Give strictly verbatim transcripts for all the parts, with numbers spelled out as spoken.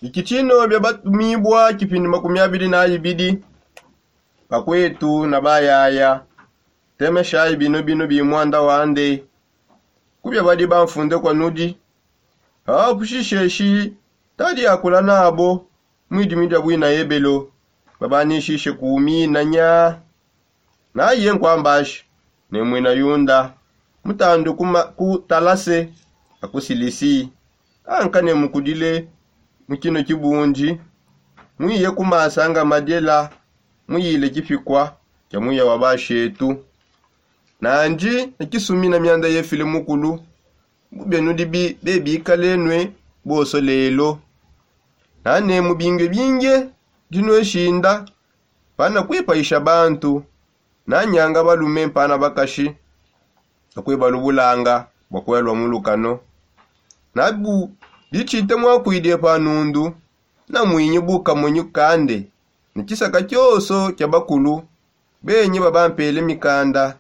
Ikitshino bia batumibua kipindi makumi abidi na ibidi. Bakwetu na bayaya, temeshayi bino bino bi muanda wande. Kubia badi bamfunde kua nudi, bapushishe shi tadi akula nabo mwidimi dia buina ebelo, babanishishe ku minanya. Naye nkuambashi ne muina yunda, mutandu ku talase, akusilisi, anka ne mukudile mu kino kibundi, muiye ku masanga madiela, muyile kipikua kia muya wa bashetu. Nandi ne kisumina mianda yefile mukulu, bubia nudi bebikale nue boso lelo. Nane mubinge binge dinue shinda pana kuipaisha bantu, nanyanga balume mpana bakashi, akuibalubulanga bua kuelua mu lukano. Nabu ditshite muakuidie pa nundu, namuinyi bukamonyi kande ne tshisaka tshioso tshia bakulu benyi babampele mikanda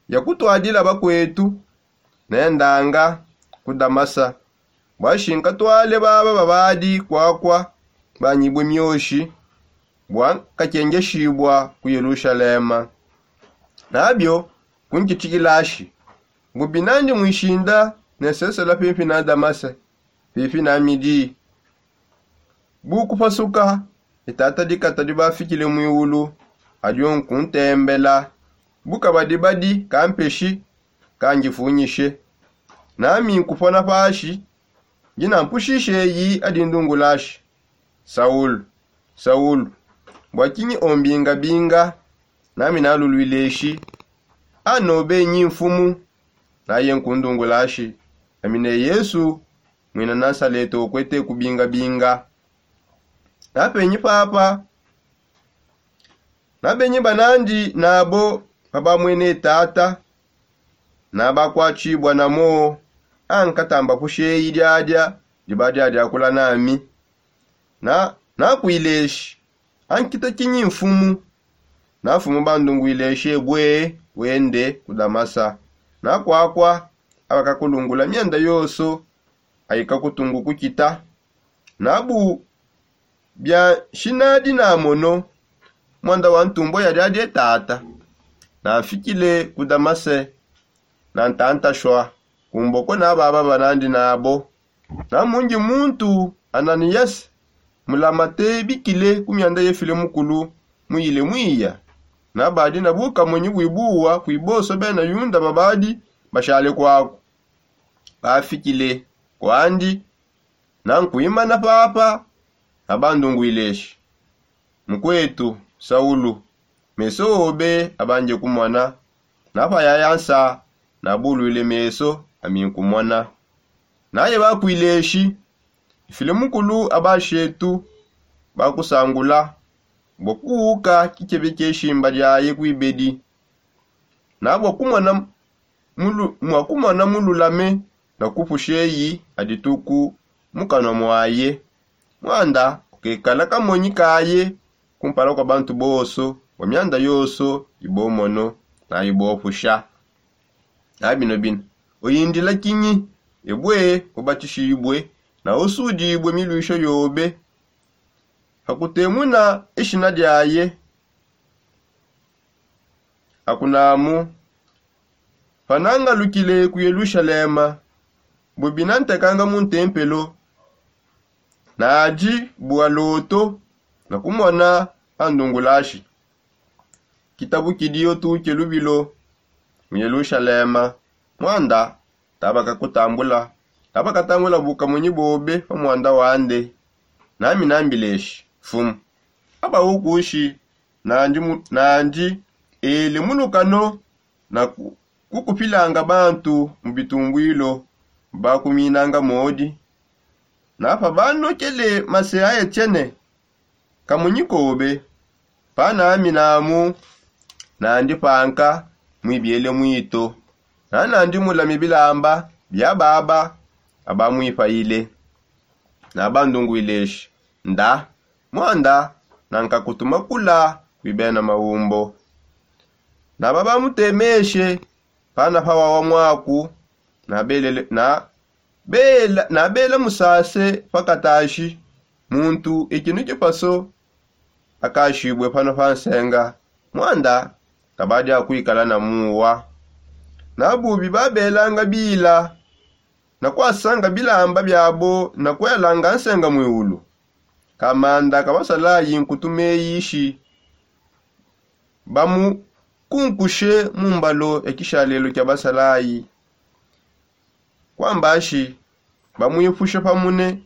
ya kutuadila bakuetu. Nendanga ku Damasa bua shi nkatuale baba babadi kuakua banyibue mioshi, bua nkakengeshiibua ku Yelushalema. Nabio kunkitshikilashi, bubi nandi muishinda nesesela pimpi na Damasa, pimpi na midi. Bu kupasuka, ne tata dikata dibafikile muiulu, adio nkuntembela. Bu kabadi badi kampeshi kandifunyishe, nami nkupona pashi, ndi nampushishe eyi adi ndungulashi: Saulu, Saulu, bua kinyi ombingabinga? Nami naluluileshi: Anobe nyi Mfumu. Naye nkundungulashi: Ami ne Yesu, muina Nasalete ukuete kubingabinga. Napenyi papa, nabenyi banandi nabo pabamwene tata, nabakuatshibua namo, ankatamba kusheyi diadia dibadiadiakula nami. Na nakuileshi: Ankita kinyi Mfumu? Nafumu bandunguileshi ebue wende ku Damasa. Nakuakua abakakulungula mianda yonso aikakutungu kukita. Nabu bia nshinadi namono muanda wa ntumbua ya diadie tata. Namfikile ku Damase, nantantashua kumboko na baba banandi nabo. Namundi muntu Ananiyase mulamate bikile ku mianda yefile mukulu, muyile muiya. Nabadi na bukamonyi buibuwa kui bonso bena Yuda babadi bashale kuaku. Bafikile kuandi, nankuimana papa, nabandunguileshi: Mukuetu Saulu, meso obe abanje kumona. Napayaya nsa, nabuluile meso ami nkumona. Naye bakuileshi: Ifile mukulu abashetu bakusangula bua kuuka tshitshebe tshie shimba diaye kuibedi, na bua kumona mulu-, mua kumona mululame na kupusha eyi a dituku mu kanua muaye. Muanda ukekala kamonyi kaye kumpala kua bantu bonso bua mianda yonso ibomono na ibopusha. Na bino bina, uyindila kinyi? Ebue ubatishibue na usudibue miluisha yobe. Pakutemuna ishina diaye, akunamu: Panangalukile ku Yelushalema, bubi nantekanga mu ntempelo, nadi bua loto na kumona andungulashi. Kitabukidio tuke lubilo mu Yelushalema, muanda tabakakutambula, tabakatangula bukamonyi bobe pa muanda wande. Nami nambileshi: Mfumu, aba ukushi nandi mu-, nandi ele mu lukano na ku-, kukupilanga bantu mu bitumbuilo, bakuminanga modi. Na pabanokele mase a Etiene, kamunyi kobe, panami namu nandi panka muibiele muito, na nandi mulame bilamba bia baba abamuipayile. Nabandunguileshi: Nda, muanda nankakutuma kula kui bena maumbo. Naba bamutemeshe pana pawawa muaku, nabelele, na Bela nabela musase pakatashi muntu ikinu kipaso akashibue pano pa nsenga. Mwanda kabadi akuikala na muwa. Nabubi babelanga bila na kwasanga bilamba biabo na kwelanga nsenga mwiulu. Kamanda kabasalayi nkutu meyishi bamukunkushe mu mbalo ya kishalelo kia basalayi. Kwambashi bamwipusha pamune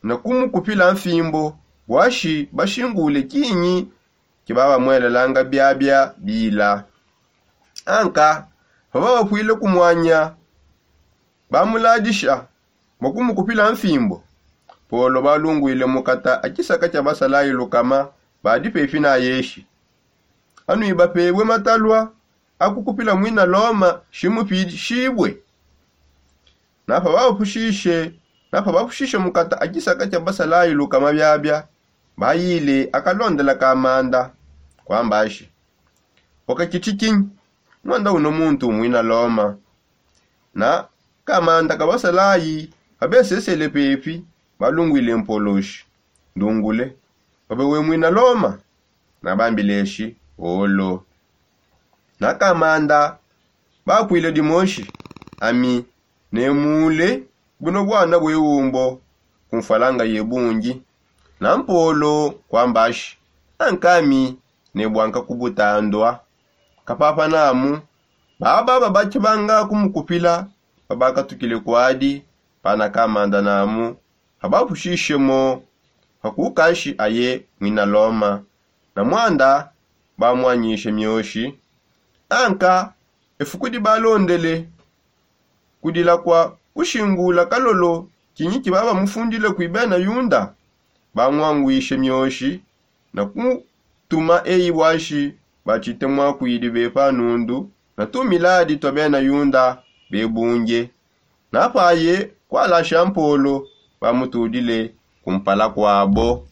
na kumukupila mfimbo bwashi bashingule kinyi kibabamwelelanga biabia bila. Anka pababapwile kumwanya bamuladisha bua kumukupila mfimbo. Polo balungwile mukata a kisaka kia basalayi lukama badi pepi na yeshi. Anui bapebue matalua akukupila mwina loma shimupishibue. Napabapushishe napabapushishe mukata a kisaka kia basalayi lukama biabia bayile akalondela kamanda. Kwambashi wakakitikinyi mwanda uno muntu mwina loma. Na kamanda kabasalayi abesesele pepi balungwile mpoloshi ndungule babe we mwina loma. Nabambileshi olo. Na kamanda bakwile dimoshi ami ne mule buno bwana bwe umbo kumfalanga ye bungi. Na mpolo kwambashi ankami ne bwanka kubutandua kapapa namu. Baba babakibanga kumukupila babakatukile kwadi pana kamanda namu. Abapushishe mo pakukashi aye mwina loma. Na mwanda bamwanyishe mioshi. Anka efuku dibalondele kudila kwa kushingula kalolo kinyi kibabamufundile kui bena yunda. Bamwangwishe mioshi na kutuma eyi bwashi batshite mwakwidi bepa nundu na tumiladi tua bena yunda bebunge. Napaye kwalasha mpolo bamutudile kumpala kwabo.